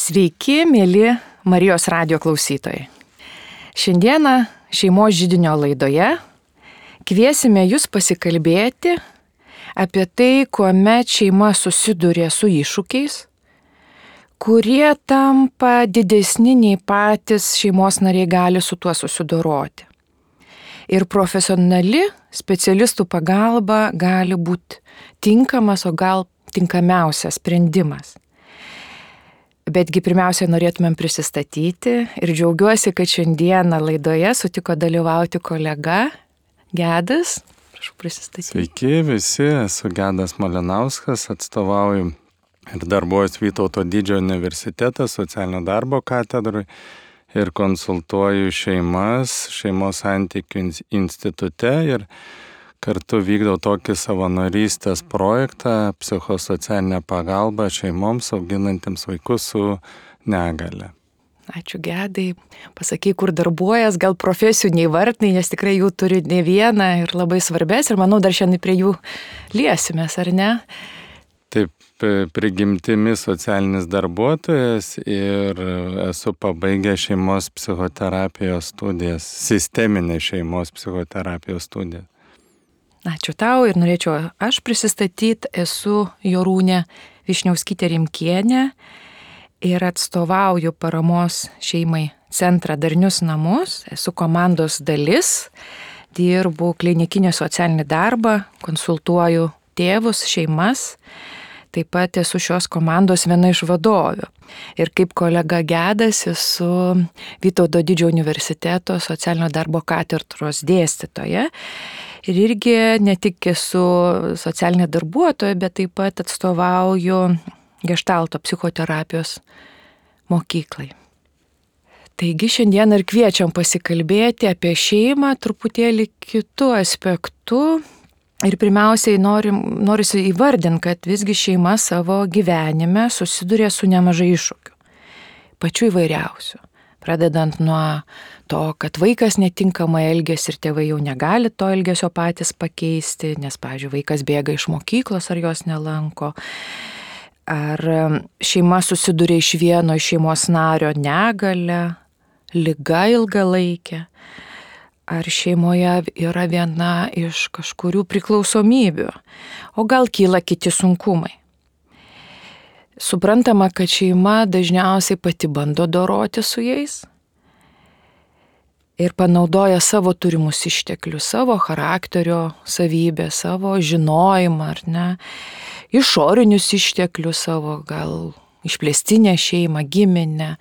Sveiki, mėly Marijos radijo klausytojai. Šiandieną šeimos židinio laidoje kviesime jūs pasikalbėti apie tai, kuomet šeima susiduria su iššūkiais, kurie tampa didesni nei patys šeimos nariai gali su tuo susidoroti. Ir profesionali specialistų pagalba gali būti tinkamas, o gal tinkamiausias sprendimas. Betgi pirmiausia norėtumėm prisistatyti ir džiaugiuosi, kad šiandieną laidoje sutiko dalyvauti kolega Gedas. Prašau prisistatyti. Sveiki visi, esu Gedas Malinauskas, atstovauju ir darbuojuosi Vytauto didžiojo universiteto socialinio darbo katedrui ir konsultuoju šeimos santykių institute ir kartu vykdau tokį savanorystės projektą psichosocialinę pagalbą šeimoms auginantiems vaikus su negale. Ačiū Gedai. Pasakyk, kur darbuojas, gal profesijų neįvardinai, nes tikrai jų turi ne vieną ir labai svarbės ir manau dar šiandien prie jų liesimės, ar ne? Taip, prigimtimi socialinis darbuotojas ir esu pabaigęs šeimos psichoterapijos studijas, sisteminės šeimos psichoterapijos studijas. Ačiū tau ir norėčiau aš prisistatyti, esu Jorūnė Višniauskytė Rimkienė ir atstovauju paramos šeimai centrą Darnius namus, esu komandos dalis, dirbu klinikinį socialinį darbą, konsultuoju tėvus, šeimas, taip pat esu šios komandos viena iš vadovių. Ir kaip kolega Gedas esu Vytauto didžiojo universiteto socialinio darbo katedros dėstytoja. Ir irgi ne tik esu socialinė darbuotoja, bet taip pat atstovauju Geštalto psichoterapijos mokyklai. Taigi šiandien ir kviečiam pasikalbėti apie šeimą truputėlį kitų aspektų. Ir pirmiausiai norisi įvardinti, kad visgi šeima savo gyvenime susiduria su nemažai iššūkių. Pačių įvairiausių. Pradedant nuo to, kad vaikas netinkamai elgiasi ir tėvai jau negali to elgesio patys pakeisti, nes, pavyzdžiui, vaikas bėga iš mokyklos ar jos nelanko. Ar šeima susiduria iš vieno iš šeimos nario negale, liga ilgalaikė. Ar šeimoje yra viena iš kažkurių priklausomybių, o gal kyla kiti sunkumai. Suprantama, kad šeima dažniausiai pati bando doroti su jais ir panaudoja savo turimus išteklius, savo charakterio savybę, savo žinojimą, ar ne, išorinius išteklius savo, gal išplėstinę šeimą, giminę.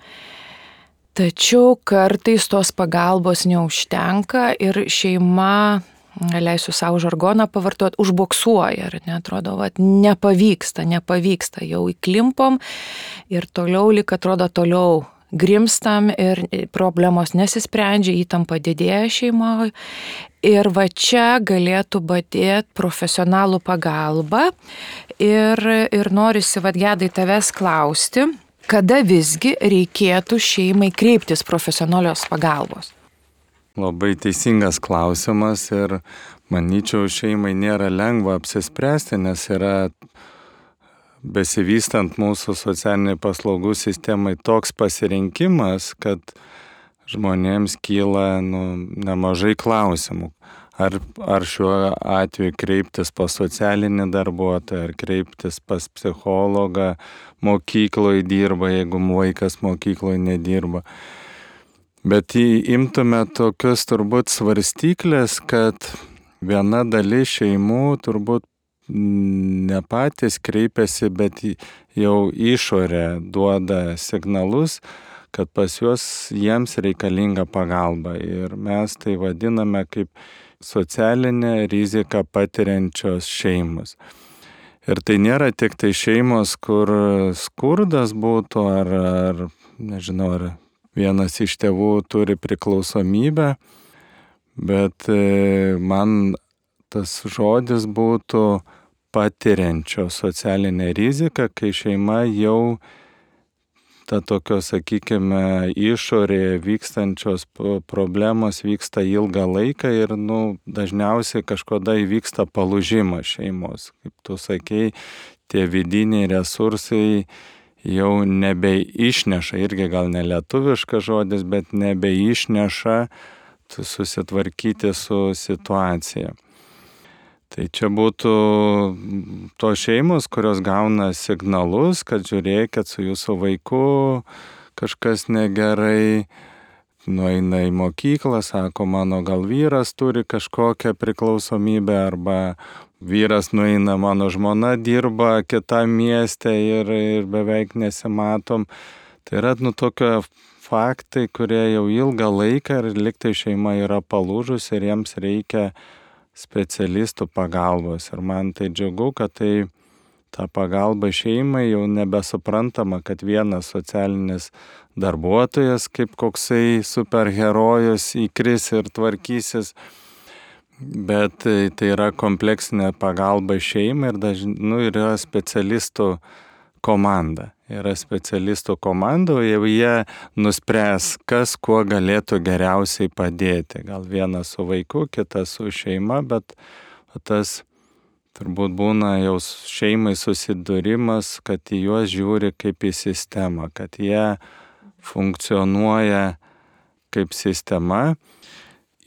Tačiau kartais tos pagalbos neužtenka ir šeima, leisiu savo žargoną pavartoti, užboksuoja, ar ne, atrodo, nepavyksta, jau įklimpom ir toliau, lyg atrodo, toliau grimstam ir problemos nesisprendžia, įtampa didėja šeimoje. Ir va čia galėtų padėti profesionalų pagalba ir norisi, Gedai, tavęs klausti, kada visgi reikėtų šeimai kreiptis profesionalios pagalbos? Labai teisingas klausimas ir manyčiau šeimai nėra lengva apsispręsti, nes yra besivystant mūsų socialiniai paslaugų sistemai toks pasirinkimas, kad žmonėms kyla nemažai klausimų. Ar šiuo atveju kreiptis pas socialinį darbuotoją, ar kreiptis pas psichologą, mokykloje dirba, jeigu vaikas mokykloje nedirba. Bet imtume tokius turbūt svarstyklės, kad viena dalis šeimų turbūt ne patys kreipiasi, bet jau išorė duoda signalus, kad pas jiems reikalinga pagalba. Ir mes tai vadiname kaip socialinę riziką patiriančios šeimos. Ir tai nėra tik tai šeimos, kur skurdas būtų, ar nežinau, ar vienas iš tėvų turi priklausomybę, bet man tas žodis būtų patiriančio socialinę riziką, kai šeima jau ta tokio, sakykime, išorėje vykstančios problemos vyksta ilgą laiką ir dažniausiai kažkada įvyksta palūžimas šeimos. Kaip tu sakei, tie vidiniai resursai jau nebeišneša, irgi gal ne lietuviškas žodis, bet nebeišneša susitvarkyti su situacija. Tai čia būtų tos šeimos, kurios gauna signalus, kad žiūrėkit, su jūsų vaiku kažkas negerai, nueina į mokyklą, sako, mano gal vyras turi kažkokią priklausomybę, arba vyras nueina, mano žmona dirba kitam mieste ir beveik nesimatom. Tai yra tokie faktai, kurie jau ilgą laiką ir liktai šeima yra palūžus ir jiems reikia specialistų pagalbos. Ir man tai džiugu, kad tai ta pagalba šeimai jau nebesuprantama, kad vienas socialinis darbuotojas kaip koksai superherojus įkris ir tvarkysis, bet tai yra kompleksinė pagalba šeimai ir yra specialistų komanda. Yra specialistų komanda, jau jie nuspręs, kas kuo galėtų geriausiai padėti. Gal vienas su vaiku, kitas su šeima, bet tas turbūt būna jau šeimai susidūrimas, kad į juos žiūri kaip į sistemą, kad jie funkcionuoja kaip sistema.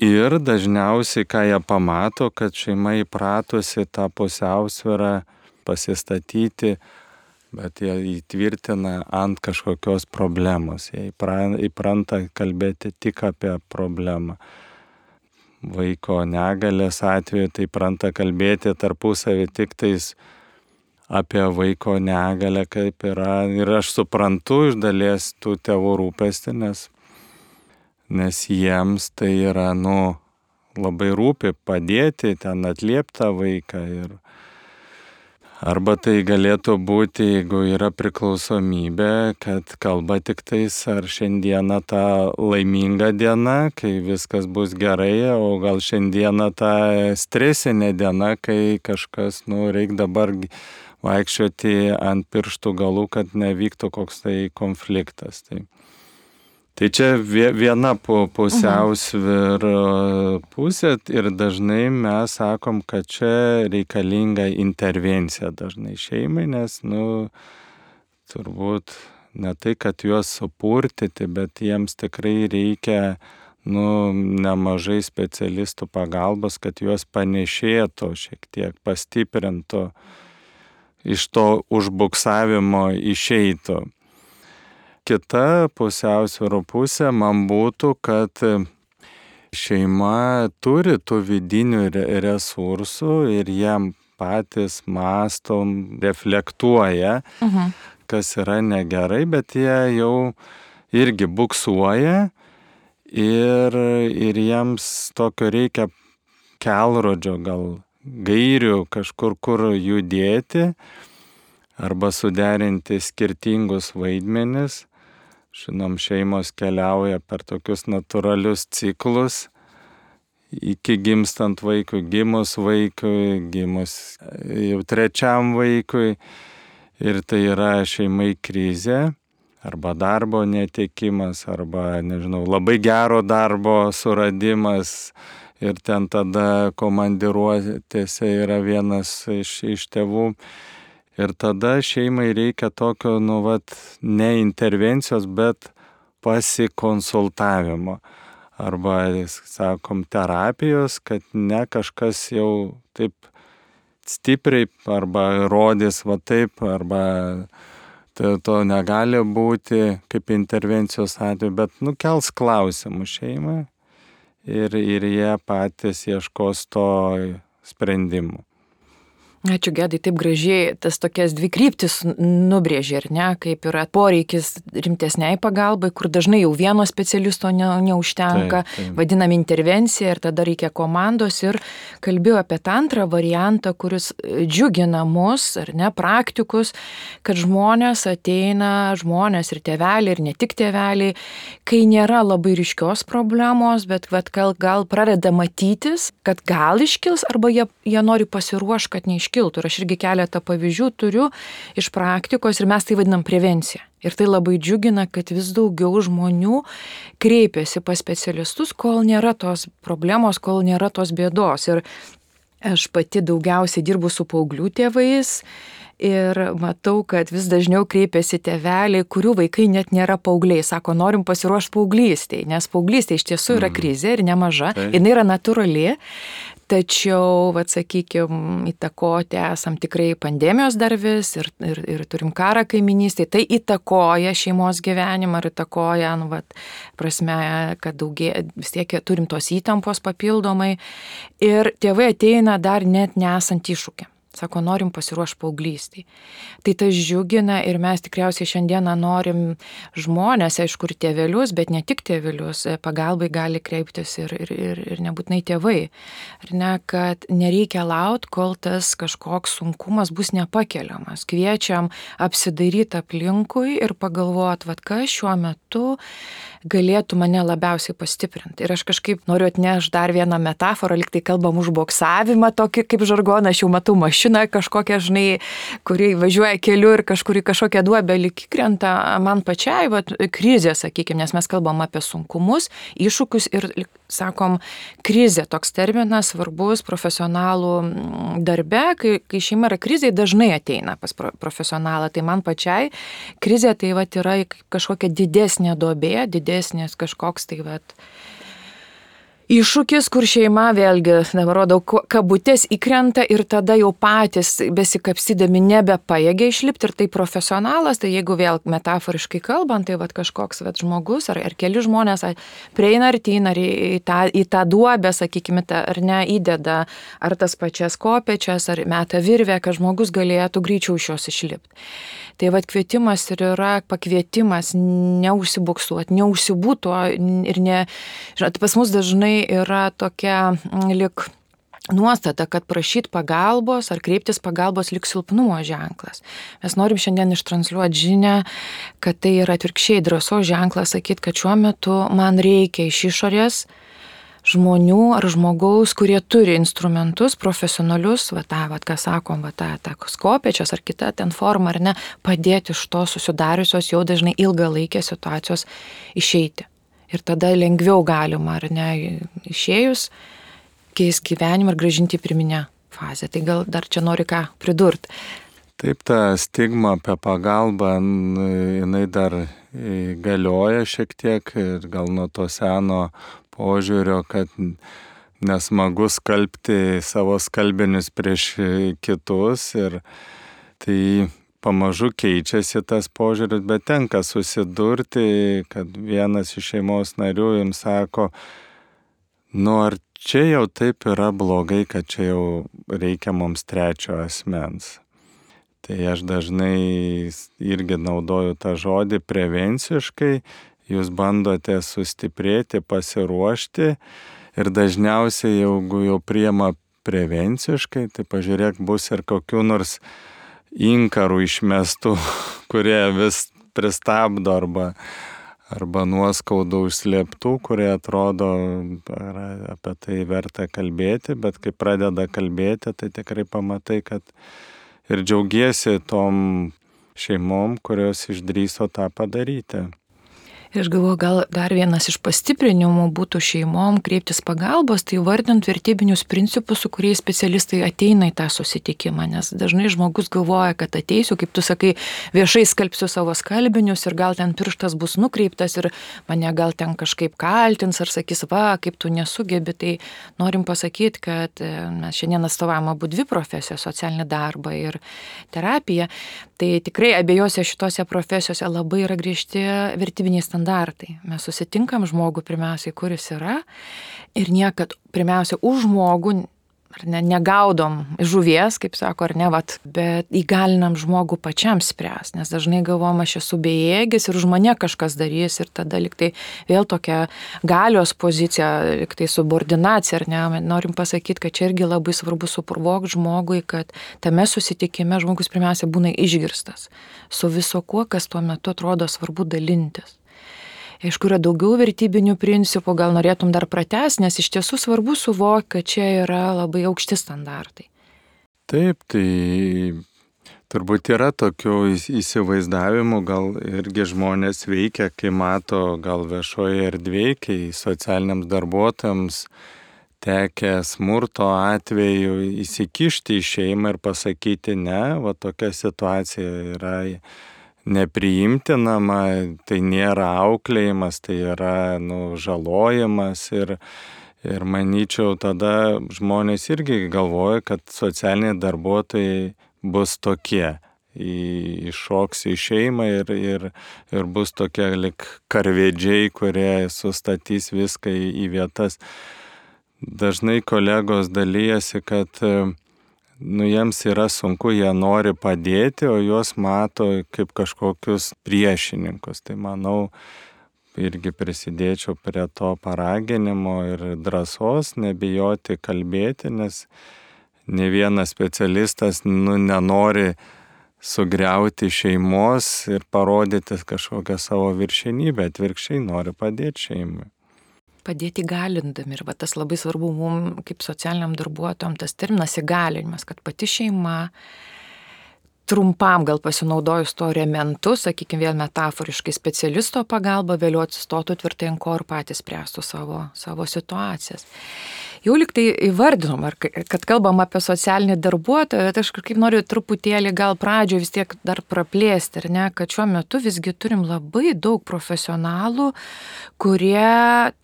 Ir dažniausiai, ką jie pamato, kad šeima įpratusi tą pusiausvyrą pasistatyti, bet jie įtvirtina ant kažkokios problemos. Jie įpranta kalbėti tik apie problemą. Vaiko negalės atveju tai įpranta kalbėti tarpusavį tik tais apie vaiko negalę, kaip yra. Ir aš suprantu iš dalies tų tėvų rūpestį, nes jiems tai yra, labai rūpi padėti, ten atlieptą vaiką. Arba tai galėtų būti, jeigu yra priklausomybė, kad kalba tik tais, ar šiandieną ta laiminga diena, kai viskas bus gerai, o gal šiandieną ta stresinė diena, kai kažkas, reikia dabar vaikščioti ant pirštų galų, kad nevyktų koks tai konfliktas. Tai čia viena pusiausvyra pusė ir dažnai mes sakom, kad čia reikalinga intervencija dažnai šeimai, nes, turbūt ne tai, kad juos supurtyti, bet jiems tikrai reikia, nemažai specialistų pagalbos, kad juos panešėtų, šiek tiek pastiprintų, iš to užbuksavimo išeitų. Kita pusiausvyro pusė man būtų, kad šeima turi tų vidinių resursų ir jiem patys mąstom, reflektuoja, kas yra negerai, bet jie jau irgi buksuoja ir jiems tokio reikia kelrodžio, gal gairių kažkur, kur judėti arba suderinti skirtingus vaidmenis. Žinom, šeimos keliauja per tokius natūralius ciklus iki gimstant vaikui, gimus vaikui, gimus jau trečiam vaikui. Ir tai yra šeimai krizė, arba darbo netekimas, arba, labai gero darbo suradimas. Ir ten tada komandiruotėse yra vienas iš tėvų. Ir tada šeimai reikia tokio, ne intervencijos, bet pasikonsultavimo. Arba, sakom, terapijos, kad ne kažkas jau taip stipriai arba rodys taip, arba to negali būti kaip intervencijos atveju, bet kels klausimų šeimai ir jie patys ieškos to sprendimų. Ačiū, Gedai, taip gražiai tas tokias dvi kryptis nubrėžė, ar ne, kaip yra poreikis rimtesniai pagalbai, kur dažnai jau vieno specialisto neužtenka, vadinam intervencija ir tada reikia komandos, ir kalbėjau apie tą antrą variantą, kuris džiugina mus, ar ne, praktikus, kad žmonės ir tėveliai, ir ne tik tėveliai, kai nėra labai ryškios problemos, bet gal pradeda matytis, kad gal iškils, arba jie nori pasiruošti, kad neiškils. Ir aš irgi keletą pavyzdžių turiu iš praktikos ir mes tai vadinam prevencija. Ir tai labai džiugina, kad vis daugiau žmonių kreipiasi pas specialistus, kol nėra tos problemos, kol nėra tos bėdos. Ir aš pati daugiausiai dirbu su paauglių tėvais Ir matau, kad vis dažniau kreipiasi tėveliai, kurių vaikai net nėra paaugliai. Sako, norim pasiruošti paauglystėje, nes paauglystė iš tiesų yra krizė ir nemaža. Jis yra natūrali. Tačiau, sakykime, įtakoti esam tikrai pandemijos dar vis ir turim karą kaiminystėje. Tai įtakoja šeimos gyvenimą ir įtakoja, prasme, kad vis tiek turim tos įtampos papildomai. Ir tėvai ateina dar net nesant iššūkį. Sako, norim pasiruošti paauglystėje. Tai tas džiugina ir mes tikriausiai šiandieną norim žmonės, aišku, ir tėvelius, bet ne tik tėvelius, pagalbai gali kreiptis ir nebūtinai tėvai. Ar ne, kad nereikia laukti, kol tas kažkoks sunkumas bus nepakeliamas. Kviečiam apsidairyti aplinkui ir pagalvoti, kas šiuo metu galėtų mane labiausiai pastiprinti. Ir aš kažkaip noriu atnešti dar vieną metaforą, lyg tai kalbam už boksavimą, tokį kaip žargoną, aš jau matau mašiną kažkokią, kuri važiuoja keliu ir kažkur į kažkokią duobę lyg krenta man pačiai, krizė, sakykime, nes mes kalbam apie sunkumus, iššūkius ir, sakom, krizė, toks terminas svarbus profesionalų darbe, kai šeima yra krizė, dažnai ateina pas profesionalą, tai man pačiai krizė tai yra kažkokia didesnė duobė, didesnis kažkoks tai iššūkis, kur šeima vėlgi, dabar rodau, kabutės įkrenta ir tada jau patys besikapsydami nebepajėgia išlipti ir tai profesionalas, tai jeigu vėl metaforiškai kalbant, tai kažkoks žmogus ar keli žmonės prieina artyn ar į tą duobę, sakykime, ar ne, įdeda ar tas pačias kopečias, ar meta virvę, kad žmogus galėtų greičiau iš jos išlipti. Tai kvietimas ir yra pakvietimas neužsibuksuoti, neužsibūto ir ne, žinot, pas mus dažnai yra tokia lik nuostata, kad prašyti pagalbos ar kreiptis pagalbos lik silpnumo ženklas. Mes norim šiandien ištransliuoti žinią, kad tai yra atvirkščiai drąsos ženklas sakyti, kad šiuo metu man reikia iš išorės žmonių ar žmogaus, kurie turi instrumentus profesionalius, ką sakom, kopečios ar kita ten forma, ar ne, padėti iš to susidariusios jau dažnai ilgalaikės situacijos išeiti. Ir tada lengviau galima, ar ne, išėjus, keisti gyvenimą ir grąžinti į pirminę fazę. Tai gal dar čia nori ką pridurti. Taip, ta stigma apie pagalbą, jinai dar galioja šiek tiek ir gal nuo to seno požiūrio, kad nesmagu skalbti savo skalbinius prieš kitus ir tai pamažu keičiasi tas požiūris, bet tenka susidurti, kad vienas iš šeimos narių jums sako, ar čia jau taip yra blogai, kad čia jau reikia mums trečio asmens. Tai aš dažnai irgi naudoju tą žodį prevenciškai, jūs bandote sustiprėti, pasiruošti ir dažniausiai, jeigu jau priima prevenciškai, tai pažiūrėk, bus ir kokių nors inkarų išmestų, kurie vis pristabdo arba nuoskaudų užslėptų, kurie atrodo apie tai verta kalbėti, bet kai pradeda kalbėti, tai tikrai pamatai, kad ir džiaugiesi tom šeimom, kurios išdrįso tą padaryti. Ir aš galvoju, gal dar vienas iš pastiprinimų būtų šeimom kreiptis pagalbos, tai vardint vertybinius principus, su kuriais specialistai ateina į tą susitikimą, nes dažnai žmogus galvoja, kad ateisiu, kaip tu sakai, viešai skalbsiu savo skalbinius ir gal ten pirštas bus nukreiptas ir mane gal ten kažkaip kaltins ar sakys, kaip tu nesugebi, tai norim pasakyti, kad mes šiandien atstovavom abu dvi profesijas, socialinį darbą ir terapiją, tai tikrai abiejose šitose profesijose labai yra griežti vertybiniai standartai. Mes susitinkam žmogų pirmiausiai, kuris yra ir niekad pirmiausia už žmogų negaudom žuvies, kaip sako, ar ne, bet įgalinam žmogų pačiam spręs, nes dažnai galvom, aš esu bejėgis ir už mane kažkas darys ir tada liktai vėl tokia galios pozicija, liktai subordinacija, ar ne, norim pasakyti, kad čia irgi labai svarbu suprovokti žmogui, kad tame susitikime žmogus pirmiausia būna išgirstas su viso kuo, kas tuo metu atrodo svarbu dalintis. Aišku, yra daugiau vertybinių principų, gal norėtum dar pratęsti, nes iš tiesų svarbu suvokti, kad čia yra labai aukšti standartai. Taip, tai turbūt yra tokių įsivaizdavimų, gal irgi žmonės veikia, kai mato gal viešoje erdvėje, kai socialiniams darbuotojams tekę smurto atveju įsikišti į šeimą ir pasakyti ne, va tokia situacija yra nepriimtinama, tai nėra auklėjimas, tai yra žalojimas ir manyčiau tada žmonės irgi galvoja, kad socialiniai darbuotojai bus tokie. Iššoks į šeimą ir bus tokie lik karvedžiai, kurie sustatys viską į vietas. Dažnai kolegos dalyjasi, kad jiems yra sunku, jie nori padėti, o juos mato kaip kažkokius priešininkus. Tai manau, irgi prisidėčiau prie to paraginimo ir drąsos, nebijoti kalbėti, nes ne vienas specialistas nenori sugriauti šeimos ir parodyti kažkokią savo viršenybę, atvirkščiai nori padėti šeimai. Padėti įgalindami. Ir tas labai svarbu mums, kaip socialiniam darbuotojam, tas terminas įgalinimas, kad pati šeima trumpam gal pasinaudojus to rementu, sakykime vėl metaforiškai specialisto pagalba, vėliau atsistotų tvirtai ant ko ir patys spręstų savo situacijas. Jau lyg tai įvardinom, kad kalbam apie socialinį darbuotoją, bet aš kažkaip noriu truputėlį gal pradžioje vis tiek dar praplėsti, ar ne, kad šiuo metu visgi turim labai daug profesionalų, kurie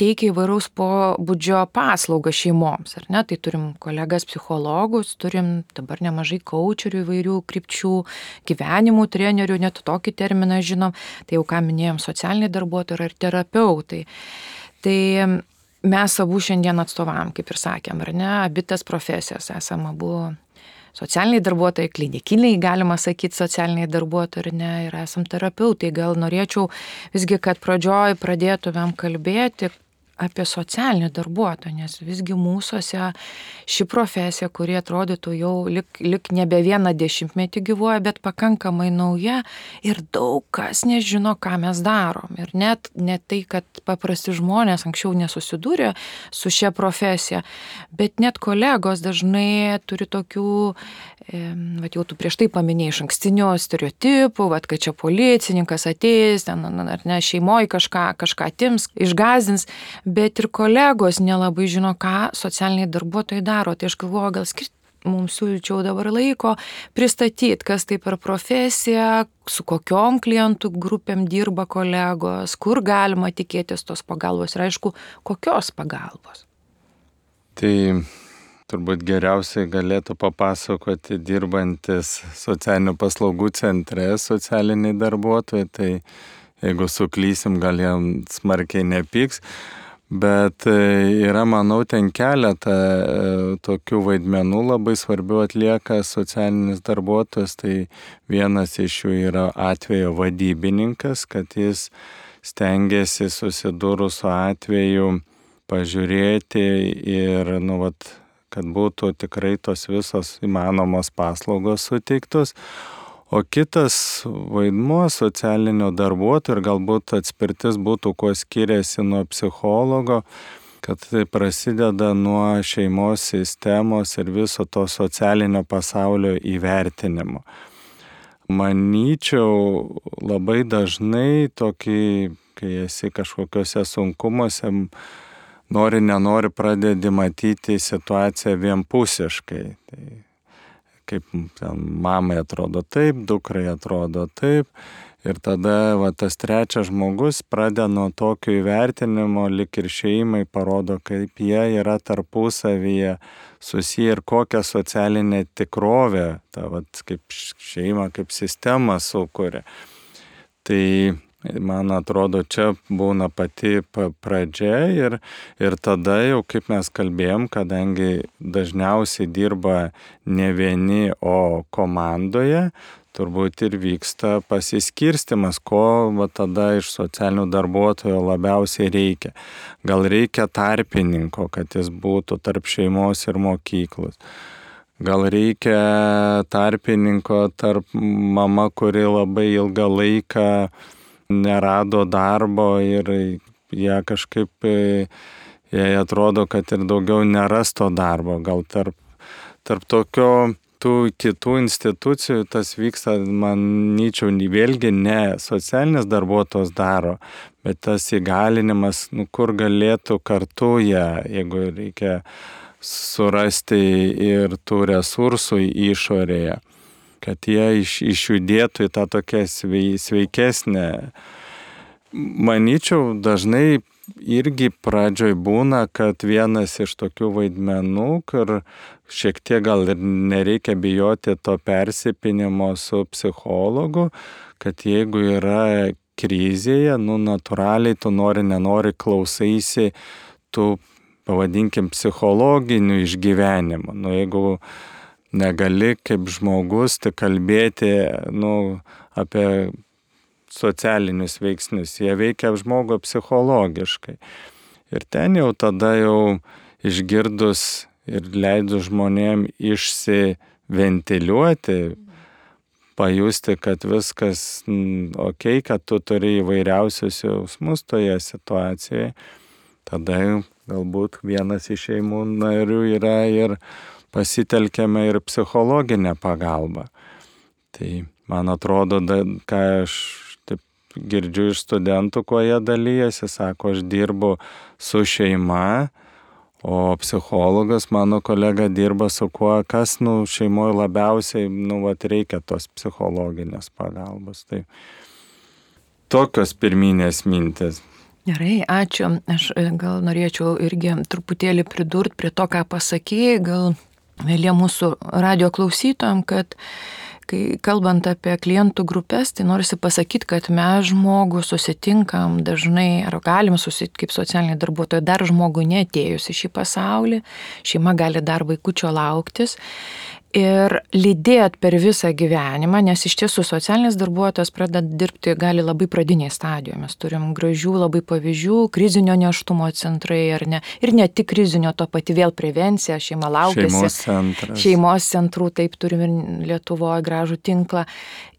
teikia įvairaus pobūdžio paslaugą šeimoms, ar ne, tai turim kolegas psichologus, turim dabar nemažai kaučerių įvairių krypčių, gyvenimų trenerių, net tokį terminą žinom, tai jau ką minėjom, socialiniai darbuotojai ir terapeutai. Tai mes abu šiandien atstovavom, kaip ir sakėm, ar ne, abi tas profesijas esame abu socialiniai darbuotojai, klinikiniai, galima sakyti, socialiniai darbuotojai, ar ne, ir esam terapeutai. Gal norėčiau visgi, kad pradžioj pradėtumėm kalbėti apie socialinį darbuotoją, nes visgi mūsuose ši profesija, kuri atrodytų jau lik nebe vieną dešimtmetį gyvuoja, bet pakankamai nauja ir daug kas nežino, ką mes darom. Ir net tai, kad paprasti žmonės anksčiau nesusidūrė su šia profesija, bet net kolegos dažnai turi tokių, jau tu prieš tai paminėjai išankstinių stereotipų, kad čia policininkas ateis, ten, ar ne, šeimoje kažką atims, išgąsdins, bet ir kolegos nelabai žino, ką socialiniai darbuotojai daro. Tai aš galvoju, gal mums siūlyčiau dabar laiko pristatyti, kas tai per profesija, su kokiom klientų grupėm dirba kolegos, kur galima tikėtis tos pagalbos ir aišku, kokios pagalbos. Tai turbūt geriausiai galėtų papasakoti dirbantis socialinių paslaugų centre socialiniai darbuotojai, tai jeigu suklysim, gal jam smarkiai nepyks, bet yra, manau, ten keletą tokių vaidmenų labai svarbių atlieka socialinis darbuotojas, tai vienas iš jų yra atvejo vadybininkas, kad jis stengiasi susidūrus su atveju pažiūrėti ir, kad būtų tikrai tos visos įmanomos paslaugos suteiktos. O kitas vaidmuo socialinio darbuotojo ir galbūt atspirtis būtų, kuo skiriasi nuo psichologo, kad tai prasideda nuo šeimos sistemos ir viso to socialinio pasaulio įvertinimo. Manyčiau, labai dažnai tokį, kai esi kažkokiuose sunkumuose, nenori pradedi matyti situaciją vienpusiškai. Tai kaip mamai atrodo taip, dukrai atrodo taip. Ir tada tas trečias žmogus pradeda nuo tokio įvertinimo, lik ir šeimai parodo, kaip jie yra tarpusavyje susiję ir kokią socialinę tikrovę, kaip šeima, kaip sistema sukuria. Tai man atrodo, čia būna pati pradžia ir tada jau, kaip mes kalbėjom, kadangi dažniausiai dirba ne vieni, o komandoje, turbūt ir vyksta pasiskirstimas, ko tada iš socialinių darbuotojų labiausiai reikia. Gal reikia tarpininko, kad jis būtų tarp šeimos ir mokyklos. Gal reikia tarpininko tarp mama, kuri labai ilgą laiką nerado darbo ir jie kažkaip, jai atrodo, kad ir daugiau neras to darbo. Gal tarp tokio kitų institucijų tas vyksta, manyčiau, vėlgi ne socialinis darbuotojas daro, bet tas įgalinimas, kur galėtų kartu jie, jeigu reikia surasti ir tų resursų išorėje, kad jie išjudėtų į tą tokią sveikesnę. Manyčiau, dažnai irgi pradžioj būna, kad vienas iš tokių vaidmenų, kur šiek tiek gal ir nereikia bijoti to persipinimo su psichologu, kad jeigu yra krizėje, natūraliai tu nenori klausaisi tų, pavadinkim, psichologinių išgyvenimų. Jeigu negali kaip žmogus tik kalbėti, apie socialinius veiksnius, jie veikia žmogų psichologiškai. Ir ten jau tada išgirdus ir leidus žmonėm išsiventiliuoti, pajusti, kad viskas ok, kad tu turi įvairiausius jausmus toje situacijoje, tada galbūt vienas iš šeimų narių yra ir pasitelkiame ir psichologinę pagalbą. Tai man atrodo, ką aš girdžiu iš studentų, kuo jie dalyjasi, sako, aš dirbu su šeima, o psichologas, mano kolega, dirba su kuo, kas šeimoje labiausiai reikia tos psichologinės pagalbos. Tai tokios pirminės mintis. Gerai, ačiū. Aš gal norėčiau irgi truputėlį pridurti prie to, ką pasakėjai, gal vėlė mūsų radio klausytojam, kad kai kalbant apie klientų grupės, tai norisi pasakyti, kad mes žmogų susitinkam dažnai, ar galim susitikti kaip socialiniai darbuotojai, dar žmogui neatėjus į šį pasaulį, šeima gali dar vaikučio lauktis ir lydėt per visą gyvenimą, nes iš tiesų socialinis darbuotojas pradeda dirbti gali labai pradinėje stadijoje. Mes turim gražių labai pavyzdžių, krizinio nėštumo centrai, ar ne, ir ne tik krizinio, to pati vėl prevencija, šeima laukiasi. Šeimos centrų, taip turim ir Lietuvoje gražų tinklą.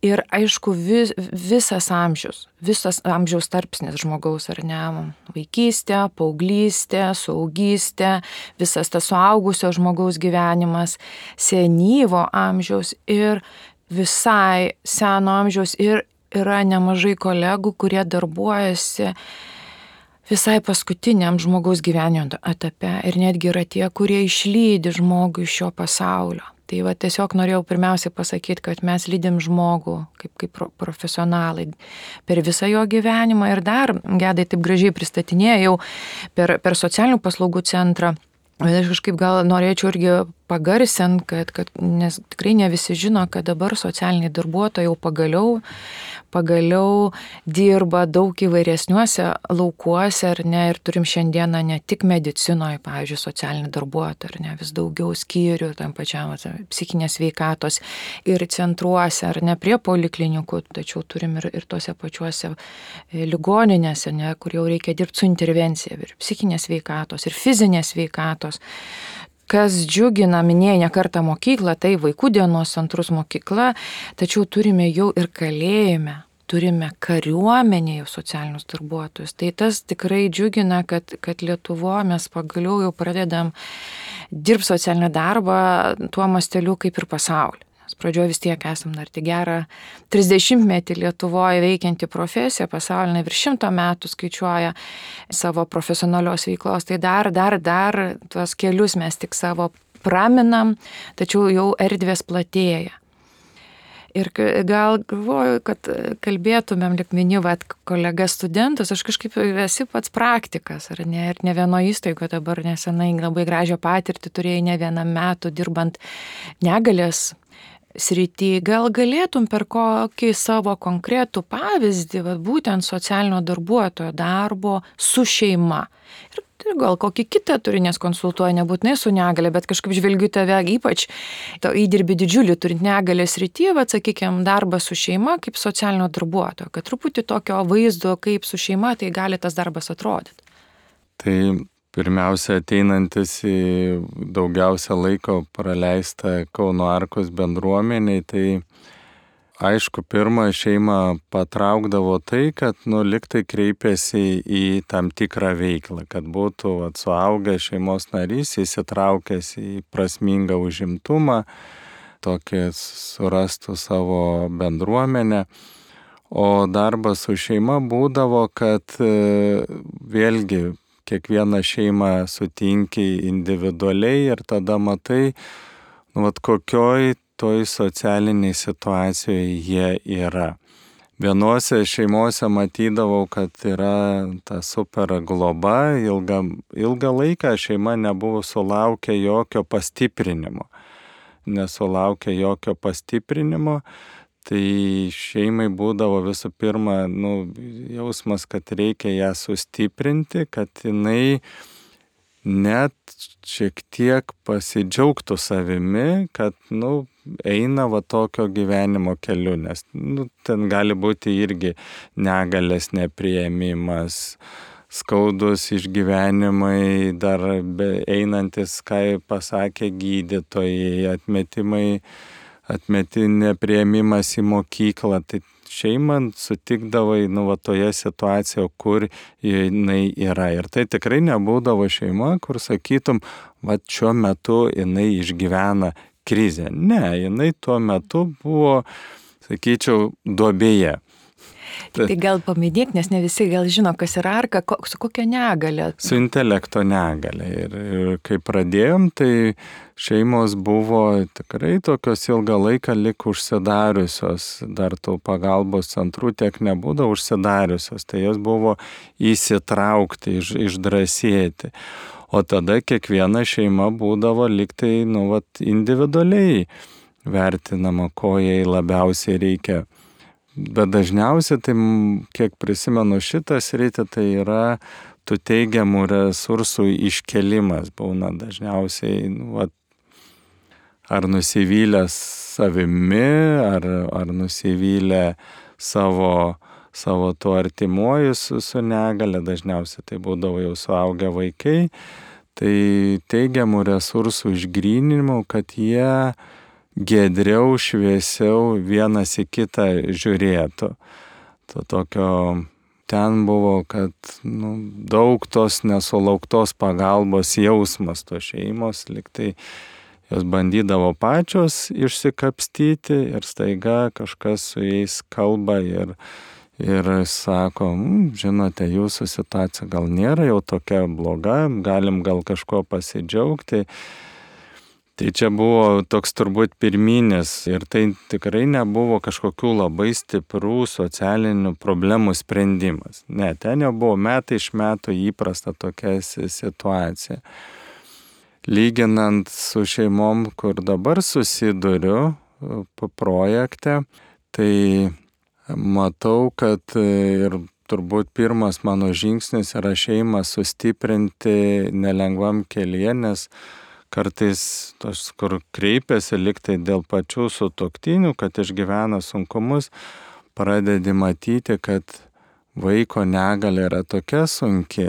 Ir aišku, visas amžiaus tarpsnis žmogaus, ar ne, vaikystė, paauglystė, suaugystė, visas tas suaugusio žmogaus gyvenimas, senyvo amžiaus ir visai seno amžiaus, ir yra nemažai kolegų, kurie darbuojasi visai paskutiniam žmogaus gyvenimo etape ir netgi yra tie, kurie išlydi žmogų iš šio pasaulio. Tai tiesiog norėjau pirmiausiai pasakyti, kad mes lydim žmogų kaip profesionalai per visą jo gyvenimą ir dar Gedai taip gražiai pristatinėjau per socialinių paslaugų centrą. Bet aš kažkaip gal norėčiau irgi pagarsinti, nes tikrai ne visi žino, kad dabar socialiniai darbuotojai jau pagaliau dirba daug įvairesniuose laukuose, ar ne, ir turim šiandieną ne tik medicinoje, pavyzdžiui, socialinį darbuotoją, ar ne, vis daugiau skyrių tam pačiam psichinės sveikatos ir centruose, ar ne, prie poliklinikų, tačiau turim ir tose pačiuose ligoninėse, ne, kur jau reikia dirbti su intervencija, ir psichinės sveikatos, ir fizinės sveikatos. Kas džiugina, minėjai ne kartą mokyklą, tai vaikų dienos centrus mokykla, tačiau turime jau ir kalėjime, turime kariuomenėje socialinius darbuotojus. Tai tas tikrai džiugina, kad Lietuvoje mes pagaliau jau pradedam dirbti socialinį darbą tuo masteliu kaip ir pasaulyje. Pradžioje vis tiek esam dar tik gerą 30-metį Lietuvoje veikianti profesija, pasaulinė virš 100 metų skaičiuoja savo profesionalios veiklos, tai dar tuos kelius mes tik savo praminam, tačiau jau erdvės platėja. Ir gal galvoju, kad kalbėtumėm, lyg miniu, kolega studentus, aš kažkaip esi pats praktikas, ar ne, ir ne vieno įstaigo dabar nesenai labai gražią patirtį turėjai ne vienam metų dirbant negalės srity. Gal galėtum per kokį savo konkretų pavyzdį, būtent socialinio darbuotojo darbo su šeima. Ir gal kokį kitą turi, nes konsultuoja nebūtinai su negalia, bet kažkaip žvelgiu tave ypač įdirbį didžiulį turint negalės srity, sakykime, darbą su šeima kaip socialinio darbuotojo, kad truputį tokio vaizdo, kaip su šeima tai gali tas darbas atrodyti. Tai pirmiausia, ateinantis į daugiausia laiko praleistą Kauno Arkos bendruomeniai, tai aišku, pirmą šeimą patraukdavo tai, kad liktai kreipėsi į tam tikrą veiklą, kad būtų suaugęs šeimos narys įsitraukęs į prasmingą užimtumą, tokį surastų savo bendruomenę. O darbas su šeima būdavo, kad vėlgi kiekvieną šeimą sutinki individualiai ir tada matai, kokioj toj socialiniai situacijoje jie yra. Vienose šeimose matydavau, kad yra ta super globa, ilgą laiką šeima nebuvo sulaukę jokio pastiprinimo. Nesulaukė jokio pastiprinimo, tai šeimai būdavo visų pirma, jausmas, kad reikia ją sustiprinti, kad jinai net šiek tiek pasidžiaugtų savimi, kad, eina tokio gyvenimo keliu, nes, ten gali būti irgi negalės nepriėmimas, skaudus išgyvenimai, dar einantis, ką pasakė gydytojai, atmeti nepriėmimas į mokyklą, tai šeimą sutikdavai, toje situacijoje, kur jinai yra. Ir tai tikrai nebūdavo šeima, kur sakytum, šiuo metu jinai išgyvena krizę. Ne, jinai tuo metu buvo, sakyčiau, duobėje. Tai gal paminėk, nes ne visi gal žino, kas yra arka, su kokia negalia. Su intelekto negalia. Ir kai pradėjom, tai šeimos buvo tikrai tokios ilgą laiką lik užsidariusios, dar tų pagalbos centrų tiek nebūdavo užsidariusios, tai jos buvo įsitraukti, išdrąsėti. O tada kiekviena šeima būdavo liktai, individualiai vertinama, ko jai labiausiai reikia. Bet dažniausiai, tai kiek prisimenu šitą sritį, tai yra tų teigiamų resursų iškelimas. Būna dažniausiai, ar nusivylę savimi, ar nusivylę savo tuo artimuoju su negale, dažniausiai tai būdavo jau suaugę vaikai. Tai teigiamų resursų išgryninimų, kad jie giedriau, šviesiau vienas į kitą žiūrėtų. Ten buvo, kad daug tos nesulauktos pagalbos jausmas to šeimos, liktai jos bandydavo pačios išsikapstyti ir staiga kažkas su jais kalba ir sako, žinote, jūsų situacija gal nėra jau tokia bloga, galim gal kažko pasidžiaugti. Tai čia buvo toks turbūt pirminis ir tai tikrai nebuvo kažkokių labai stiprų socialinių problemų sprendimas. Ne, ten jau buvo metai iš metų įprasta tokia situacija. Lyginant su šeimom, kur dabar susiduriu projekte, tai matau, kad ir turbūt pirmas mano žingsnis yra šeimą sustiprinti nelengvam kelyje, nes kartais tos, kur kreipiasi liktai dėl pačių sutuoktinių, kad išgyvena sunkumus, pradedi matyti, kad vaiko negalia yra tokia sunki,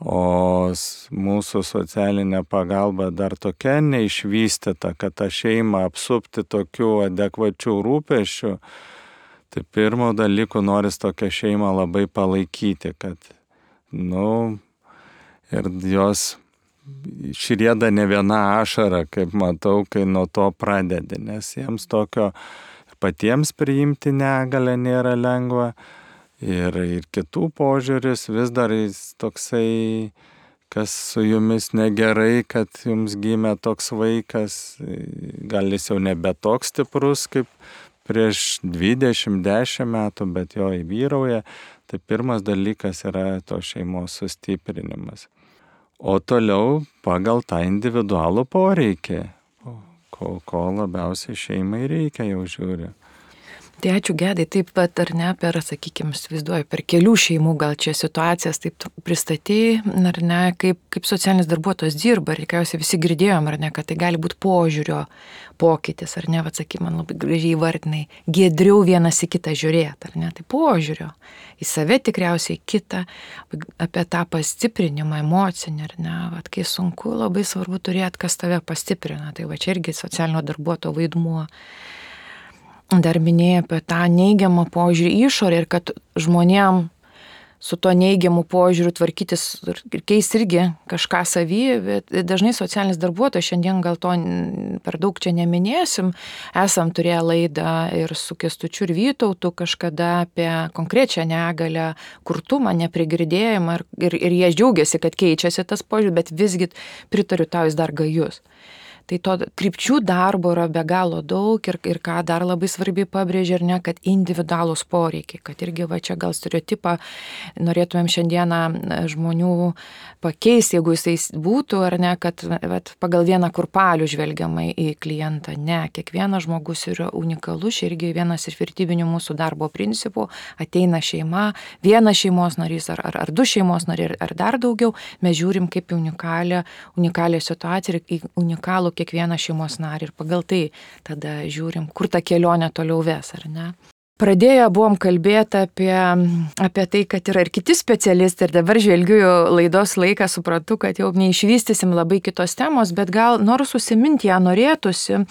o mūsų socialinė pagalba dar tokia neišvystyta, kad tą šeimą apsupti tokių adekvačių rūpesčių. Tai pirmo dalyko noris tokią šeimą labai palaikyti, kad, ir jos šrieda ne viena ašara, kaip matau, kai nuo to pradedi, nes jiems tokio patiems priimti negalę nėra lengva ir kitų požiūris vis dar toksai, kas su jumis negerai, kad jums gimė toks vaikas, gal jis jau nebe toks stiprus kaip prieš 20-10 metų, bet jo įvyrauja. Tai pirmas dalykas yra to šeimos sustiprinimas. O toliau pagal tą individualų poreikį, ko labiausiai šeimai reikia, jau žiūri. Tai ačiū Gedai, taip pat ar ne, įsivaizduoju, per kelių šeimų gal čia situacijas taip pristatėjai, ar ne, kaip socialinis darbuotojas dirba, ir tikriausiai visi girdėjom, ar ne, kad tai gali būti požiūrio pokytis, ar ne, man labai gražiai įvardinai, giedriau vienas į kitą žiūrėti, ar ne, tai požiūrio į save tikriausiai kitą, apie tą pastiprinimą emocinį, ar ne, kai sunku, labai svarbu turėti, kas tave pastiprina, tai čia irgi socialinio darbuotojo vaidmuo. Dar minėjai apie tą neigiamą požiūrį išorę ir kad žmonėm su to neigiamu požiūriu tvarkytis ir keisti irgi kažką savy, bet dažnai socialinis darbuotojas, šiandien gal to per daug čia neminėsim, esam turėję laidą ir su Kęstučiu ir Vytautu kažkada apie konkrečią negalią, kurtumą, neprigirdėjimą ir jie džiaugiasi, kad keičiasi tas požiūris, bet visgi pritariu tau, jis dar gajus. Tai to krypčių darbo yra be galo daug ir ką dar labai svarbiai pabrėžia, ar ne, kad individualūs poreikiai, kad irgi va čia gal stereotipą norėtumėm šiandieną žmonių pakeisti, jeigu jisai būtų, ar ne, kad vat, pagal vieną kurpalių žvelgiamai į klientą. Ne, kiekvienas žmogus yra unikalus, irgi vienas iš vertybinių mūsų darbo principų, ateina šeima, vienas šeimos narys ar du šeimos nariai ar dar daugiau, mes žiūrim kaip unikalią situaciją ir į unikalų kiekvieną šeimos narį ir pagal tai tada žiūrim, kur ta kelionė toliau ves, ar ne. Pradėję buvom kalbėti apie tai, kad yra ir kiti specialistai ir dabar žvelgiu laidos laiką, suprantu, kad jau neišvystysim labai kitos temos, bet gal nors užsiminti ją norėtųsi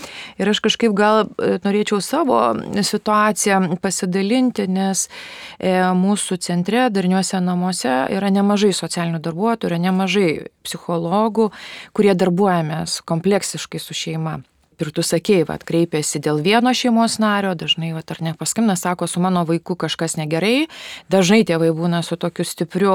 ir aš kažkaip gal norėčiau savo situaciją pasidalinti, nes mūsų centre, darniuose namuose yra nemažai socialinių darbuotojų, yra nemažai psichologų, kurie darbuojamės kompleksiškai su šeima. Ir tu sakei, kreipiasi dėl vieno šeimos nario, dažnai, ar nepaskambina, sako, su mano vaiku kažkas negerai, dažnai tėvai būna su tokiu stipriu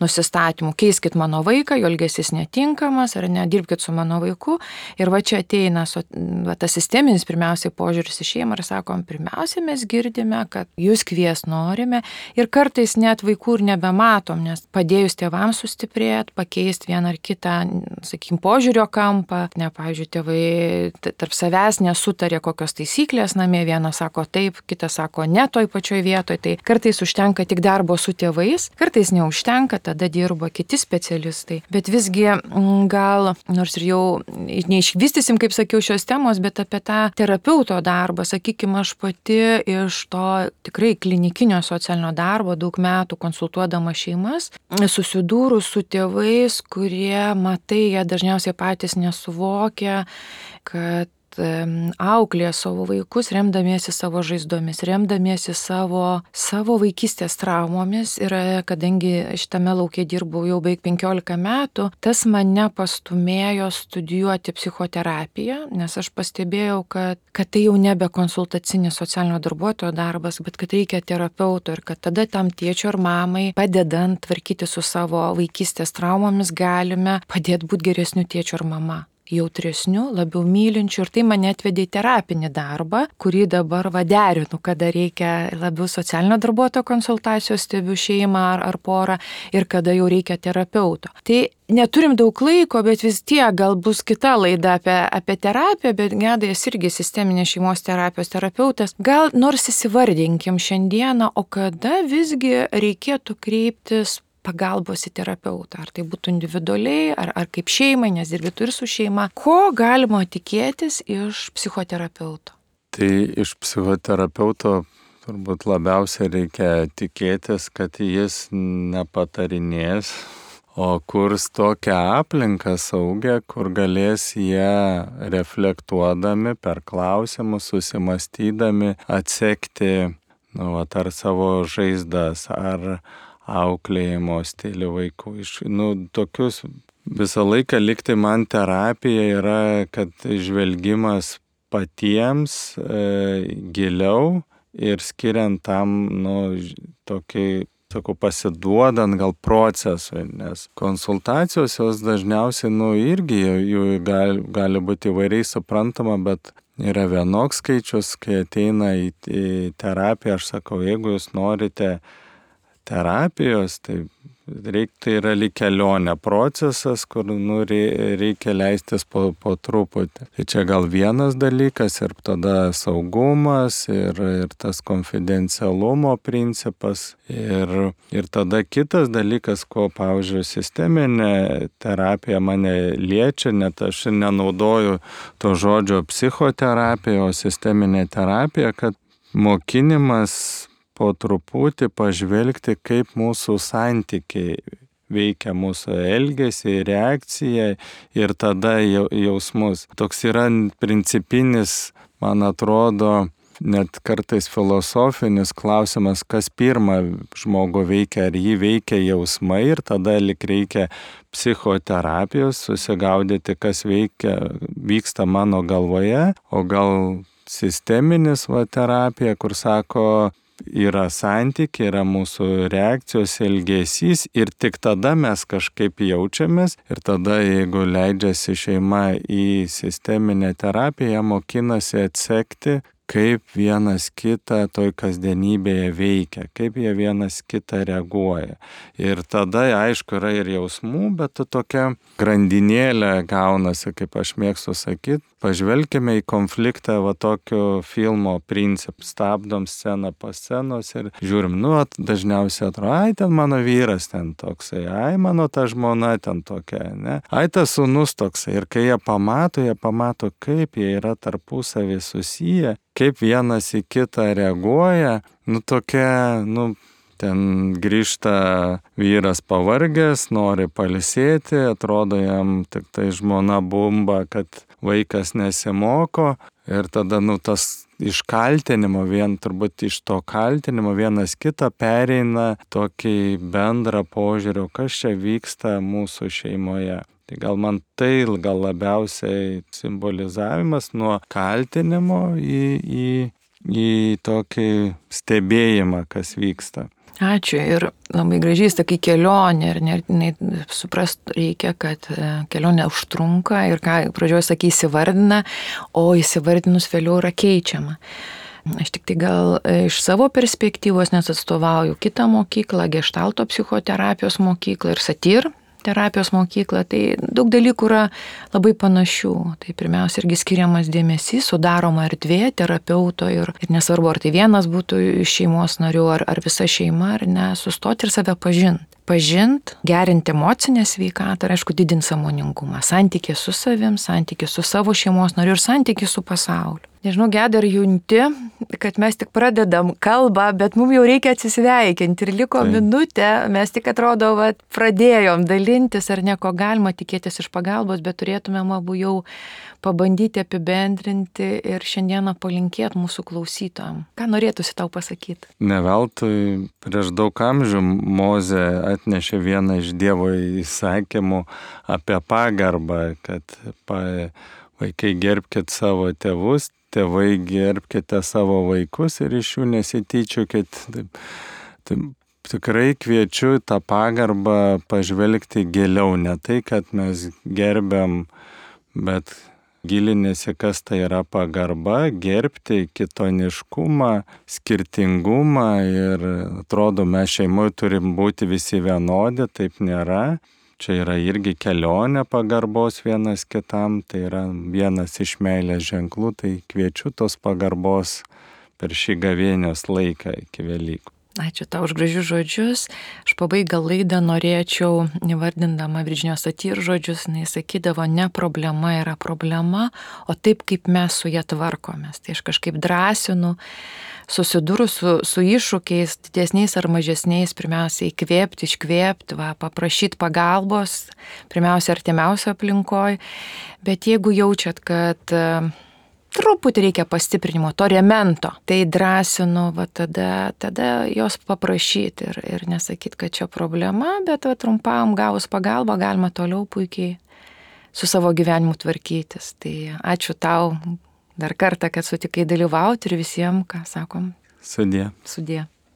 nusistatymu, keiskit mano vaiką, jo elgesys netinkamas, ar nedirbkit su mano vaiku. Ir va čia ateina tas sisteminis pirmiausiai požiūris į šeimą ir sakom, pirmiausia mes girdime, kad jūs kvies norime ir kartais net vaikų ir nebematom, nes padėjus tėvams sustiprėti, pakeisti vieną ar kitą, sakykim, požiūrio kampą, pavyzdžiui, tėvai tarp savęs nesutarė kokios taisyklės namie, vienas sako taip, kitas sako ne toj pačioj vietoj, tai kartais užtenka tik darbo su tėvais, kartais neužtenka, tada dirba kiti specialistai. Bet visgi gal, nors ir jau neišvystysim, kaip sakiau, šios temos, bet apie tą terapeuto darbą, sakykime, aš pati iš to tikrai klinikinio socialinio darbo daug metų konsultuodama šeimas, susidūrus su tėvais, kurie, matai, jie dažniausiai patys nesuvokia, kad auklėja savo vaikus, remdamiesi savo žaizdomis, remdamiesi savo vaikystės traumomis. Ir kadangi šitame lauke dirbau jau beveik 15 metų, tas mane pastumėjo studijuoti psichoterapiją, nes aš pastebėjau, kad tai jau nebe konsultacinis socialinio darbuotojo darbas, bet kad reikia terapeuto ir kad tada tam tėčio ar mamai, padedant tvarkyti su savo vaikystės traumomis, galime padėti būti geresniu tėčiu ar mama. Jautresniu, labiau mylinčiu ir tai mane atvedė į terapinį darbą, kurį dabar derinu, kada reikia labiau socialinio darbuotojo konsultacijos, stebiu šeimą ar porą ir kada jau reikia terapeuto. Tai neturim daug laiko, bet vis tiek gal bus kita laida apie terapiją, bet Gedas irgi sisteminės šeimos terapijos terapeutas. Gal nors įsivardinkim šiandieną, o kada visgi reikėtų kreiptis pagalbos į terapeutą, ar tai būtų individualiai, ar kaip šeimai, nes dirbitu ir su šeima. Ko galima tikėtis iš psichoterapeuto? Tai iš psichoterapeuto turbūt labiausiai reikia tikėtis, kad jis nepatarinės, o kurs tokią aplinką saugę, kur galės jie reflektuodami per klausimus, susimastydami, atsekti ar savo žaizdas, ar auklėjimo stilių vaikų. Tokius visą laiką likti man terapija yra, kad žvelgimas patiems giliau ir skiriant tam, tokį, pasiduodant gal procesui, nes konsultacijos jos dažniausiai, irgi jų gali būti įvairiai suprantama, bet yra vienoks skaičius, kai ateina į terapiją, aš sakau, jeigu jūs norite terapijos, tai yra lyg kelionė procesas, kur reikia leistis po truputį. Tai čia gal vienas dalykas ir tada saugumas ir tas konfidencialumo principas ir tada kitas dalykas, ko, pavyzdžiui, sisteminė terapija mane liečia, net aš nenaudoju to žodžio psichoterapija, o sisteminė terapija, kad mokinimas po truputį pažvelgti, kaip mūsų santykiai veikia mūsų elgesį, reakciją ir tada jausmus. Toks yra principinis, man atrodo, net kartais filosofinis klausimas, kas pirmą žmogų veikia, ar jį veikia jausmai ir tada lik reikia psichoterapijos, susigaudyti, kas vyksta mano galvoje, o gal sisteminis terapija, kur sako, yra santykiai, yra mūsų reakcijos, elgesys ir tik tada mes kažkaip jaučiamės ir tada, jeigu leidžiasi šeima į sisteminę terapiją, mokinasi atsekti, kaip vienas kitą toj kasdienybėje veikia, kaip jie vienas kitą reaguoja. Ir tada, aišku, yra ir jausmų, bet tokia grandinėlė gaunasi, kaip aš mėgstu sakyti. Pažvelkime į konfliktą tokio filmo principų. Stabdom sceną po scenos ir žiūrim, dažniausiai atrodo, ai, ten mano vyras ten toksai, ai, mano ta žmona ten tokia, ne? Ai, tas sūnus toksai. Ir kai jie pamato, kaip jie yra tarpusavį susiję, kaip vienas į kitą reaguoja, tokia, ten grįžta vyras pavargęs, nori pailsėti, atrodo jam tik tai žmona bumba, kad vaikas nesimoko ir tada tas iš kaltinimo, turbūt iš to kaltinimo vienas kitą pereina tokį bendrą požiūrį, kas čia vyksta mūsų šeimoje. Tai gal man gal labiausiai simbolizavimas nuo kaltinimo į tokį stebėjimą, kas vyksta. Ačiū ir labai gražiai sakai kelionė ir suprast reikia, kad kelionė užtrunka ir ką pradžioje sakai įsivardina, o įsivardinus vėliau yra keičiama. Aš tik tai gal iš savo perspektyvos, nes atstovauju kitą mokyklą, Geštalto psichoterapijos mokyklą ir satyr terapijos mokyklą, tai daug dalykų yra labai panašių. Tai pirmiausia irgi skiriamas dėmesys, sudaroma erdvė terapeuto ir nesvarbu, ar tai vienas būtų iš šeimos narių, ar visa šeima, ar ne, sustoti ir save pažint, gerinti emocinę sveikatą ir, aišku, didinti sąmoningumą, santykį su savim, santykį su savo šeimos nariu ir santykį su pasauliu. Nežinau, Gedai, ar junti, kad mes tik pradedam kalbą, bet mums jau reikia atsisveikinti ir liko minutė, mes tik atrodo, pradėjom dalintis, ar nieko galima tikėtis iš pagalbos, bet turėtumėm abu jau pabandyti apibendrinti ir šiandieną palinkėti mūsų klausytojam. Ką norėtųsi tau pasakyti? Ne veltui prieš daug amžių Mozė atnešė vieną iš Dievo įsakymų apie pagarbą, kad vaikai gerbkit savo tėvus, tėvai gerbkite savo vaikus ir iš jų nesityčiokit. Tai tikrai kviečiu tą pagarbą pažvelgti giliau, ne tai, kad mes gerbiam, bet gilinėsi, kas tai yra pagarba, gerbti kitoniškumą, skirtingumą ir atrodo, mes šeimoje turim būti visi vienodi, taip nėra. Čia yra irgi kelionė pagarbos vienas kitam, tai yra vienas iš meilės ženklų, tai kviečiu tos pagarbos per šį gavėnios laiką iki Velykų. Ačiū tau už gražius žodžius. Aš pabaigą laidą norėčiau, nevardindama Virginijos Satyr žodžius, jis sakydavo, ne problema yra problema, o taip, kaip mes su ją tvarkomės. Tai aš kažkaip drąsinu, susidūrus su iššūkiais, didesniais ar mažesniais, pirmiausia įkvėpti, iškvėpti, paprašyti pagalbos, pirmiausia artimiausio aplinkoje. Bet jeigu jaučiat, kad truputį reikia pastiprinimo, to remento, tai drąsinu, tada jos paprašyti ir nesakyti, kad čia problema, bet trumpam gavus pagalbą galima toliau puikiai su savo gyvenimu tvarkytis. Tai ačiū tau dar kartą, kad sutikai dalyvauti ir visiems, ką sakom. Sudie. Sudie.